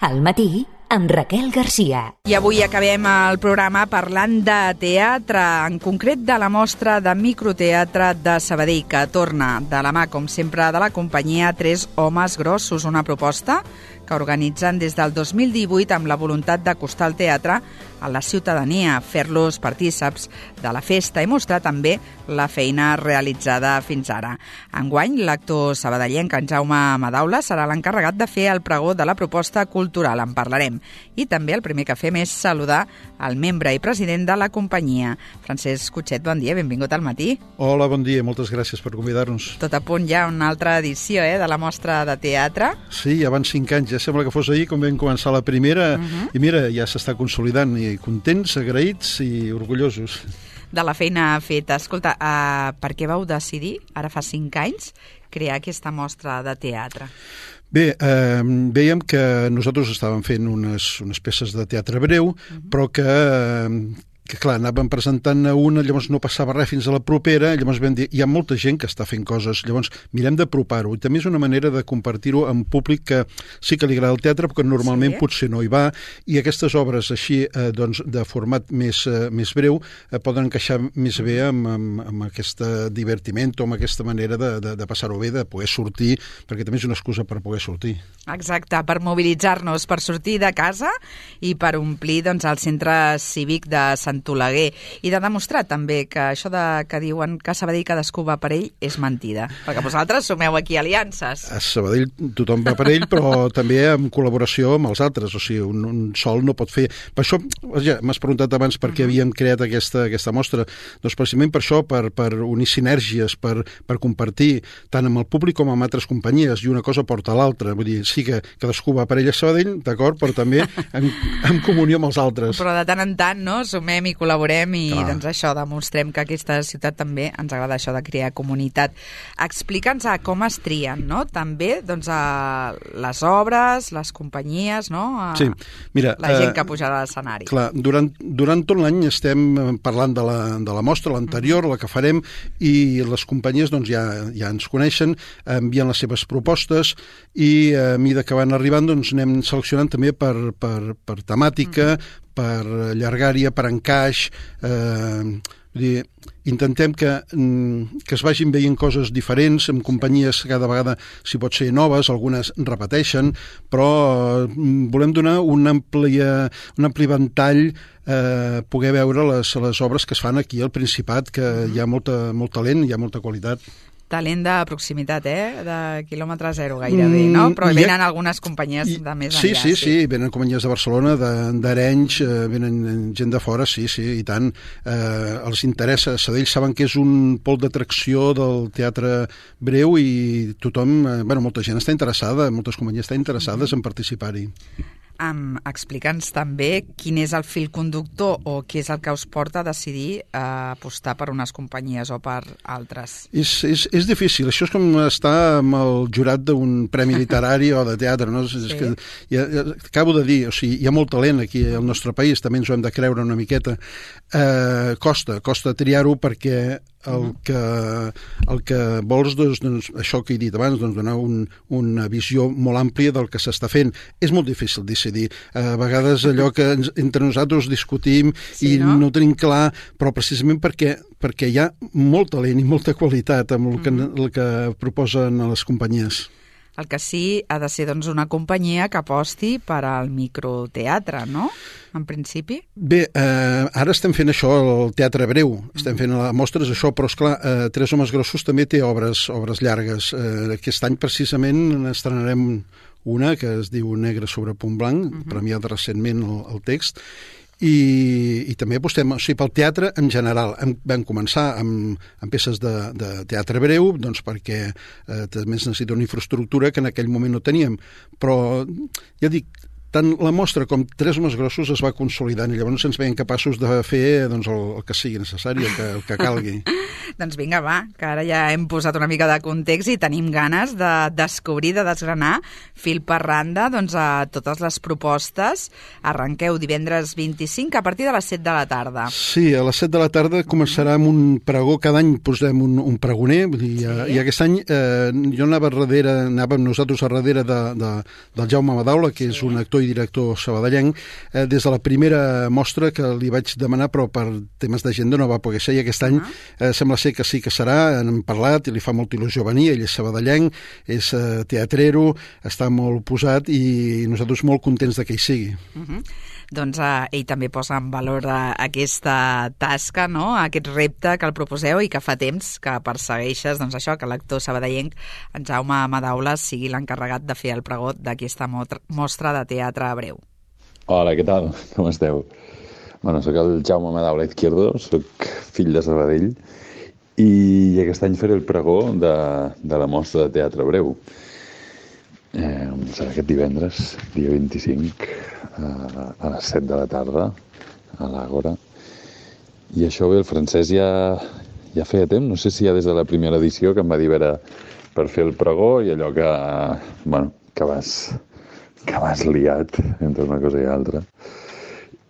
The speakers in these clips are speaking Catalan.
Al matí, amb Raquel Garcia. I avui acabem el programa parlant de teatre, en concret de la mostra de microteatre de Sabadell, que torna de la mà, com sempre, de la companyia Tres Homes Grossos, una proposta que organitzen des del 2018 amb la voluntat d'acostar el teatre a la ciutadania, fer-los partíceps de la festa i mostrar també la feina realitzada fins ara. Enguany, l'actor sabadellenc en Jaume Madaula serà l'encarregat de fer el pregó de la proposta cultural, en parlarem. I també el primer que fem és saludar el membre i president de la companyia. Francesc Cotxet, bon dia, benvingut al matí. Hola, bon dia, moltes gràcies per convidar-nos. Tot a punt ja una altra edició de la mostra de teatre. Sí, ja van 5 anys, ja sembla que fos ahir com vam començar la primera, i mira, ja s'està consolidant, i contents, agraïts i orgullosos. De la feina feta. Escolta, per què vau decidir, ara fa 5 anys, crear aquesta mostra de teatre? Bé, vèiem que nosaltres estàvem fent unes peces de teatre breu, però que clar, anàvem presentant una, llavors no passava res fins a la propera, llavors vam dir, hi ha molta gent que està fent coses, llavors mirem d'apropar-ho, i també és una manera de compartir-ho amb públic que sí que li agrada el teatre, però que normalment potser no hi va, i aquestes obres així, doncs, de format més breu, poden encaixar més bé amb aquest divertiment o amb aquesta manera de passar-ho bé, de poder sortir, perquè també és una excusa per poder sortir. Exacte, per mobilitzar-nos, per sortir de casa i per omplir, doncs, el centre cívic de Sant Oleguer, i de demostrar també que això que diuen que a Sabadell cadascú va per ell és mentida, perquè vosaltres sumeu aquí aliances. A Sabadell tothom va per ell, però també en col·laboració amb els altres, o sigui, un sol no pot fer. Per això, ja m'has preguntat abans per què havíem creat aquesta mostra, doncs precisament per això, per unir sinergies, per compartir tant amb el públic com amb altres companyies, i una cosa porta a l'altra, vull dir, sí que cadascú va per ell a Sabadell, d'acord, però també en comunió amb els altres. Però de tant en tant, no?, sumem i col·laborem i doncs això, demostrem que aquesta ciutat també ens agrada això de crear comunitat. Explica'ns com es trien, no?, també doncs les obres, les companyies, no?, sí, mira, la gent que pujarà a l'escenari. Clar, durant tot l'any estem parlant de la mostra, l'anterior, la que farem, i les companyies doncs ja ens coneixen, envien les seves propostes i a mesura que van arribant doncs anem seleccionant també per temàtica, per llargària, per encaix, intentem que es vagin veient coses diferents, amb companyies cada vegada, si pot ser noves, algunes repeteixen, però volem donar un ampli ventall, poder veure les obres que es fan aquí al Principat, que hi ha molt talent, hi ha molta qualitat. Talent de proximitat, de quilòmetre zero gairebé, no? Però venen algunes companyies de més enllà. Sí, venen companyies de Barcelona, d'Arenys, venen gent de fora, sí, i tant. Els interessa, Sabadell saben que és un pol d'atracció del teatre breu i tothom, molta gent està interessada, moltes companyies estan interessades en participar-hi. Explica'ns també quin és el fil conductor o què és el que us porta a decidir apostar per unes companyies o per altres. És difícil, això és com estar amb el jurat d'un premi literari o de teatre, no? És que, acabo de dir, o sigui, hi ha molt talent aquí al nostre país, també ens ho hem de creure una miqueta. Costa triar-ho perquè el que vols, doncs, això que he dit abans, doncs, donar una visió molt àmplia del que s'està fent. És molt difícil decidir. A vegades allò que entre nosaltres discutim i no tenim clar, però precisament perquè hi ha molt talent i molta qualitat amb el que proposen a les companyies. El que sí ha de ser, doncs, una companyia que aposti per al microteatre, no?, en principi? Bé, ara estem fent això, el teatre breu, estem fent mostres això, però esclar, Tres Homes Grossos també té obres llargues. Aquest any precisament estrenarem una que es diu Negre sobre punt blanc, premiada recentment el text, i també apostem pel teatre en general. Vam començar amb peces de teatre breu, doncs perquè també es necessita una infraestructura que en aquell moment no teníem, però ja dic, tant la mostra com Tres Homes Grossos es va consolidant i llavors ens veiem capaços de fer doncs, el que sigui necessari, el que calgui. Doncs vinga, va, que ara ja hem posat una mica de context i tenim ganes de descobrir, de desgranar fil per randa doncs, a totes les propostes. Arrenqueu divendres 25 a partir de les 7 de la tarda. Sí, a les 7 de la tarda començarà amb un pregó, cada any posem un pregoner, i aquest any anàvem nosaltres a darrere del Jaume Madaula, que és un actor i director sabadellenc, des de la primera mostra que li vaig demanar, però per temes d'agenda no va poder ser, i aquest any sembla ser que sí que serà, hem parlat i li fa molta il·lusió venir, ell és sabadellenc, és teatrero, està molt posat i nosaltres molt contents de que hi sigui. Doncs ell també posa en valor aquesta tasca, no? Aquest repte que el proposeu i que fa temps que persegueixes, doncs això, que l'actor sabadellenc, en Jaume Madaules, sigui l'encarregat de fer el pregó d'aquesta mostra de teatre breu. Hola, què tal? Com esteu? Bueno, soc el Jaume Madaules Izquierdo, soc fill de Sabadell i aquest any faré el pregó de la mostra de teatre breu. Serà aquest divendres, dia 25, a les 7 de la tarda, a l'Àgora. I això bé, el francès ja feia temps, no sé si ja des de la primera edició que em va dir per fer el pregó i allò que vas liat entre una cosa i altra.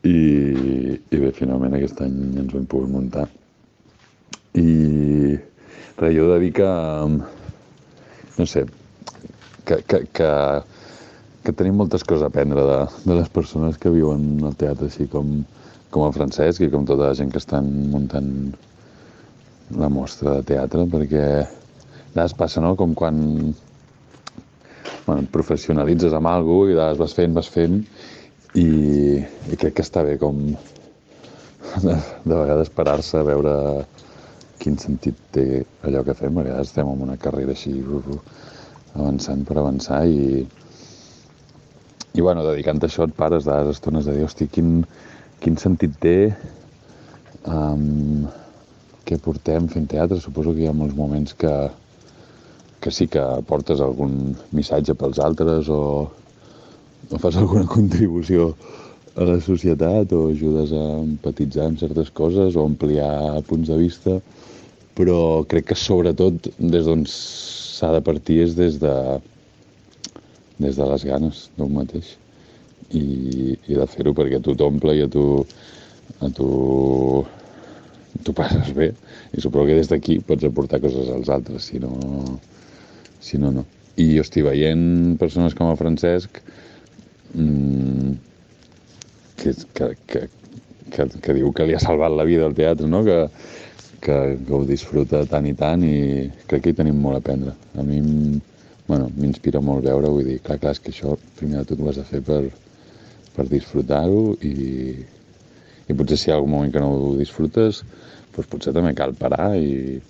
I bé, finalment aquest any ens ho hem pogut muntar. I res, jo he de dir que, no sé, que tenim moltes coses a aprendre de les persones que viuen al teatre, així com el Francesc i com tota la gent que estan muntant la mostra de teatre, perquè a vegades passa, no?, com quan et professionalitzes amb alguna cosa i a vegades vas fent i crec que està bé com de vegades parar-se a veure quin sentit té allò que fem. A vegades estem en una carrera així avançant per avançar i dedicant a això et pares de les estones de dir, hosti, quin sentit té què portem fent teatre. Suposo que hi ha molts moments que sí que portes algun missatge pels altres o fas alguna contribució a la societat o ajudes a empatitzar amb certes coses o ampliar punts de vista, però crec que sobretot des d'on s'ha de partir és des de les ganes d'un mateix i de fer-ho perquè a tu t'omple i a tu passes bé i suposo que des d'aquí pots aportar coses als altres, si no, no. I jo estic veient persones com el Francesc que diu que li ha salvat la vida al teatre, no?, que ho disfruta tant i tant i crec que hi tenim molt a aprendre. A mi m'inspira molt veure, vull dir, clar, és que això primer de tot ho has de fer per disfrutar-ho i potser si hi ha algun moment que no ho disfrutes, doncs potser també cal parar i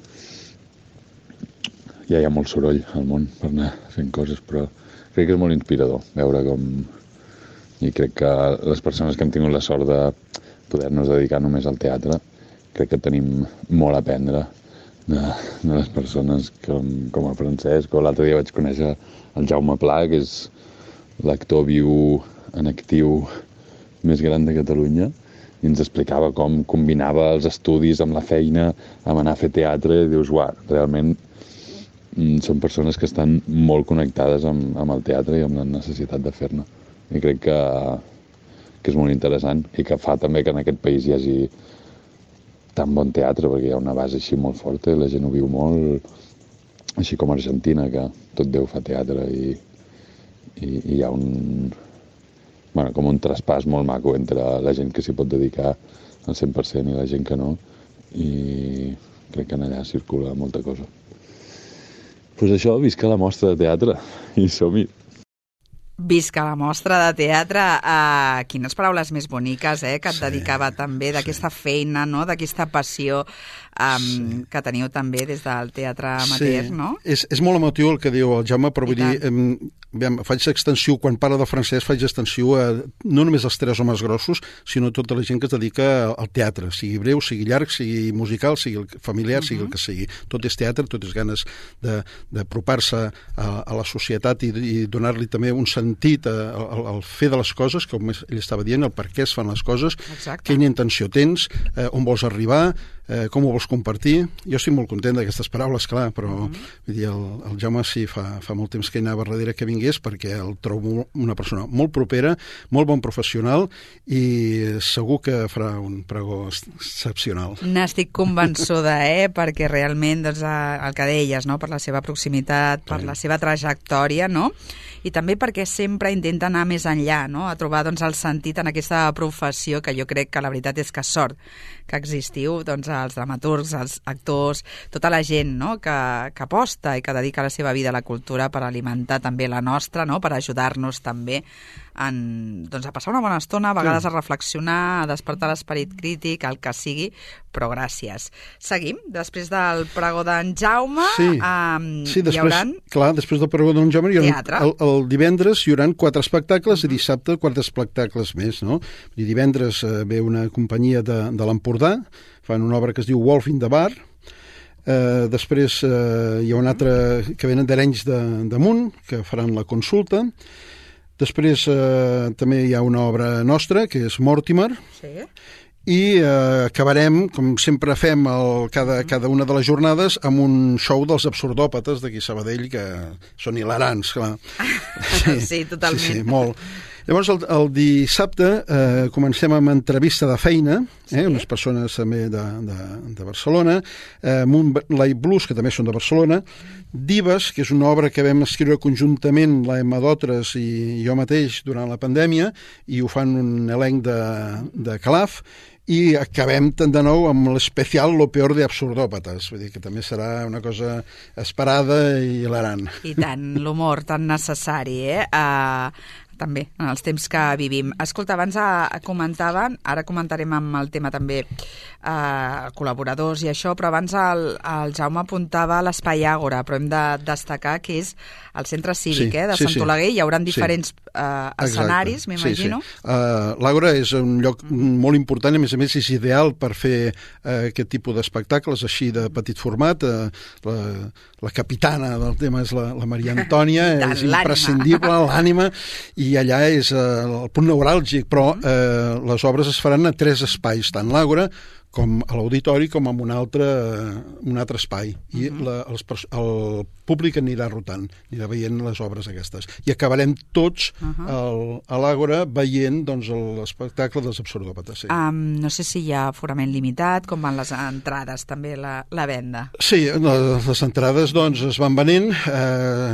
ja hi ha molt soroll al món per anar fent coses, però crec que és molt inspirador veure com... I crec que les persones que hem tingut la sort de poder-nos dedicar només al teatre, crec que tenim molt a aprendre de les persones com el Francesc, o l'altre dia vaig conèixer el Jaume Pla, que és l'actor viu en actiu més gran de Catalunya, i ens explicava com combinava els estudis amb la feina, amb anar a fer teatre, i dius, uau, realment són persones que estan molt connectades amb el teatre i amb la necessitat de fer-ne. I crec que és molt interessant i que fa també que en aquest país hi hagi tan bon teatre, perquè hi ha una base així molt forta i la gent ho viu molt, així com a Argentina, que tot Déu fa teatre i hi ha com un traspàs molt maco entre la gent que s'hi pot dedicar al 100% i la gent que no, i crec que allà circula molta cosa. Doncs això, visca la mostra de teatre i som-hi. Visca la mostra de teatre. Quines paraules més boniques, que et dedicava també d'aquesta feina, no?, d'aquesta passió que teniu també des del teatre amateur, no? És molt emotiu el que diu el Jaume, però vull dir, faig extensiu, quan parla del francès, faig extensiu a no només els tres homes grossos, sinó a tota la gent que es dedica al teatre, sigui breu, sigui llarg, sigui musical, sigui familiar, sigui el que sigui. Tot és teatre, tot és ganes d'apropar-se a la societat i donar-li també un sentit al fer de les coses, com ell estava dient, el per què es fan les coses, quina intenció tens, on vols arribar, com ho vols compartir? Jo estic molt content d'aquestes paraules, clar, però vull dir, el Jaume sí, fa molt temps que hi anava darrere que vingués, perquè el trobo una persona molt propera, molt bon professional i segur que farà un pregó excepcional. N'estic convençuda, perquè realment doncs, el que deies, no? Per la seva proximitat, per la seva trajectòria, no? I també perquè sempre intenta anar més enllà, no? A trobar doncs, el sentit en aquesta professió, que jo crec que la veritat és que sort que existiu doncs, els dramaturgs, els actors, tota la gent, no? que aposta i que dedica la seva vida a la cultura per alimentar també la nostra, no? Per ajudar-nos també doncs, a passar una bona estona, a vegades a reflexionar, a despertar l'esperit crític, el que sigui, però gràcies. Seguim, després del pregó d'en Jaume, després, hi haurà... Clar, després del pregó d'en Jaume el divendres hi haurà 4 espectacles i dissabte 4 espectacles més, no? I divendres ve una companyia de l'Empordà, fan una obra que es diu Wolf in the Bar. Després hi ha un altre que venen d'Arenys d'Amunt, que faran la consulta. Després també hi ha una obra nostra, que és Mortimer, i acabarem, com sempre fem cada una de les jornades, amb un show dels absurdòpates d'aquí a Sabadell, que són hilarants, clar. Sí, totalment. Sí, molt. Llavors, el dissabte comencem amb entrevista de feina, unes persones també de Barcelona, Moonlight Blues, que també són de Barcelona, Divas, que és una obra que vam escriure conjuntament la Emma Dotres i jo mateix durant la pandèmia, i ho fan un elenc de Calaf, i acabem de nou amb l'especial Lo peor de absurdòpates, vull dir que també serà una cosa esperada i hilarant. I tant, l'humor tan necessari, també, en els temps que vivim. Escolta, abans comentaven, ara comentarem amb el tema també col·laboradors i això, però abans el Jaume apuntava l'Espai Àgora, però hem de destacar que és el centre cívic de Sant Oleguer, hi haurà diferents escenaris, m'imagino. L'Àgora és un lloc molt important, a més és ideal per fer aquest tipus d'espectacles així de petit format. La capitana del tema és la Maria Antònia, és imprescindible, l'ànima, i allà és el punt neuràlgic, però les obres es faran a 3 espais, tant l'Àgora com a l'auditori com en un altre espai. I el públic anirà rotant, anirà veient les obres aquestes. I acabarem tots a l'Àgora veient l'espectacle dels absurdòpates. No sé si hi ha aforament limitat, com van les entrades, també la venda. Sí, les entrades es van venent.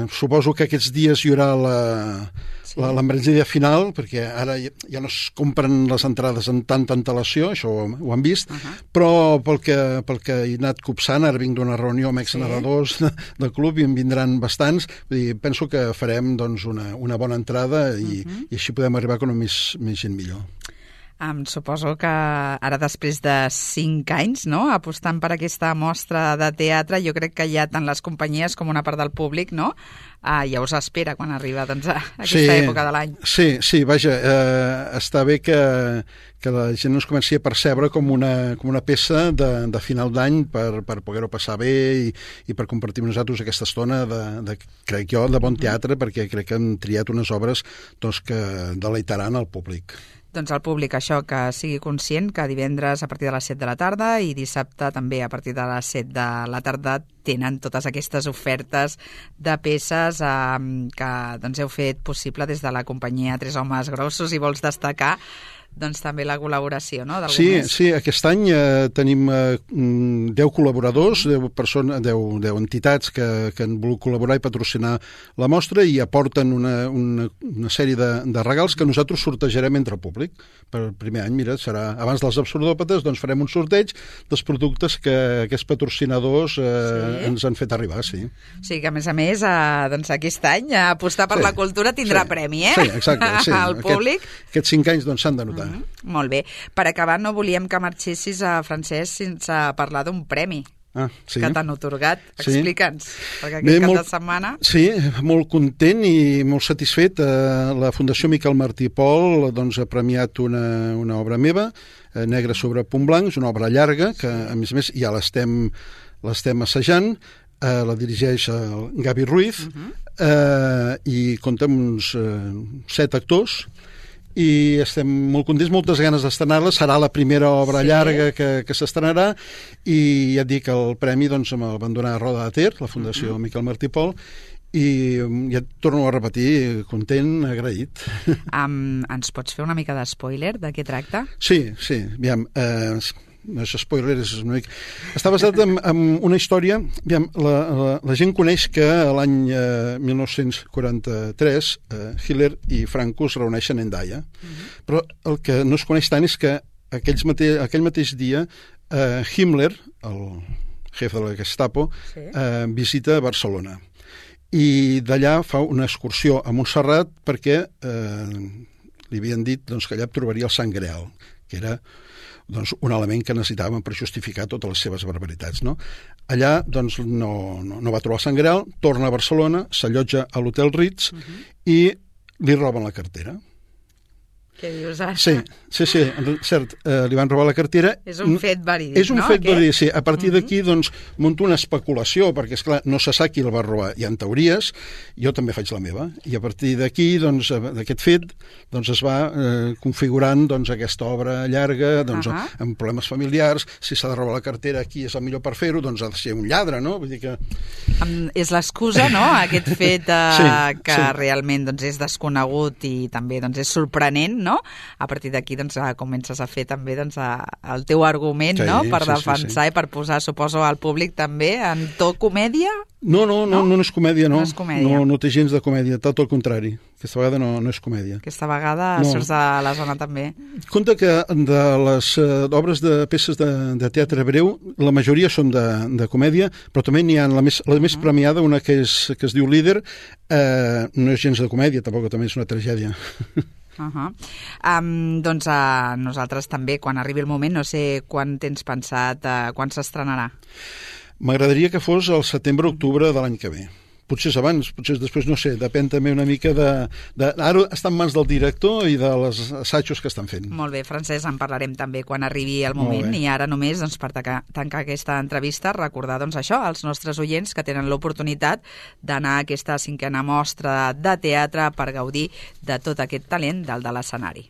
Suposo que aquests dies hi haurà l'embranzida final, perquè ara ja no es compren les entrades amb tanta antelació, això ho han vist, però pel que he anat copsant, ara vinc d'una reunió amb exnarradors del club i en vindran bastants, penso que farem una bona entrada i així podem arribar com més gent millor. Suposo que ara, després de 5 anys, no?, apostant per aquesta mostra de teatre, jo crec que ja tant les companyies com una part del públic, no?, ja us espera quan arriba aquesta època de l'any. Sí, vaja, està bé que la gent ens comenci a percebre com una peça de final d'any per poder-ho passar bé i per compartir amb nosaltres aquesta estona crec jo, de bon teatre, perquè crec que hem triat unes obres que deleitaran al públic. Doncs el públic, això, que sigui conscient que divendres a partir de les 7 de la tarda i dissabte també a partir de les 7 de la tarda tenen totes aquestes ofertes de peces que heu fet possible des de la companyia Tres Homes Grossos, i vols destacar també la col·laboració, no?, d'algú més. Sí, aquest any tenim 10 col·laboradors, 10 entitats que han volgut col·laborar i patrocinar la mostra i aporten una sèrie de regals que nosaltres sortejarem entre el públic. Per el primer any, mira, serà abans dels absurdòpates, farem un sorteig dels productes que aquests patrocinadors ens han fet arribar, sí. Sí, que a més, aquest any apostar per la cultura tindrà premi, Sí, exacte, sí. Al públic. Aquests 5 anys s'han de notar. Molt bé. Per acabar, no volíem que marxessis, Francesc, sense parlar d'un premi que t'han atorgat. Explica'ns, perquè aquest cap de setmana... Sí, molt content i molt satisfet. La Fundació Miquel Martí i Pol ha premiat una obra meva, Negre sobre punt blanc, és una obra llarga, que a més ja l'estem assajant, la dirigeix el Gavi Ruiz, i compta amb uns 7 actors, i estem molt contents, moltes ganes d'estrenar-la. Serà la primera obra llarga que s'estrenarà, i ja et dic, el premi doncs, me'l van donar a Roda de Ter, la Fundació Miquel Martí i Pol, i ja et torno a repetir, content, agraït. Ens pots fer una mica de spoiler de què tracta? Sí, aviam, no és spoiler, és una mica... Està basat en una història. Aviam, la gent coneix que l'any 1943 Hitler i Franco es reuneixen en Daia, però el que no es coneix tant és que aquell mateix dia Himmler, el jefe de la Gestapo, visita Barcelona, i d'allà fa una excursió a Montserrat perquè li havien dit doncs, que allà trobaria el Sant Greal, que era doncs, un element que necessitaven per justificar totes les seves barbaritats. No? Allà doncs, no va trobar el Sant Greal, torna a Barcelona, s'allotja a l'Hotel Ritz i li roben la cartera. Què dius ara? Sí, cert, li van robar la cartera. És un fet verídic, no? És un fet verídic, sí. A partir d'aquí, doncs, munto una especulació, perquè, esclar, no se sap qui el va robar. Hi ha teories, jo també faig la meva, i a partir d'aquí, doncs, d'aquest fet, doncs, es va configurant, doncs, aquesta obra llarga, doncs, amb problemes familiars, si s'ha de robar la cartera, qui és el millor per fer-ho, doncs ha de ser un lladre, no? Vull dir que... És l'excusa, no?, aquest fet que realment, doncs, és desconegut i també, doncs, és sorprenent, no? A partir d'aquí doncs, comences a fer també doncs, el teu argument, no? Per defensar i per posar, suposo, al públic també en to comèdia? No és comèdia, no. No té gens de comèdia, tot el contrari. Aquesta vegada no és comèdia. Aquesta vegada surts de la zona també. Compte que de les obres de peces de teatre breu, la majoria són de comèdia, però també n'hi ha la més premiada, una que es diu Líder, no és gens de comèdia, tampoc també és una tragèdia. Doncs nosaltres també, quan arribi el moment, no sé quan tens pensat, quan s'estrenarà. M'agradaria que fos el setembre-octubre de l'any que ve. Potser és abans, potser és després, no sé, depèn també una mica ara està en mans del director i de les assajos que estan fent. Molt bé, Francesc, en parlarem també quan arribi el moment, i ara només, doncs, per tancar aquesta entrevista, recordar, doncs, això, als nostres oients que tenen l'oportunitat d'anar a aquesta 5a mostra de teatre per gaudir de tot aquest talent dalt de l'escenari.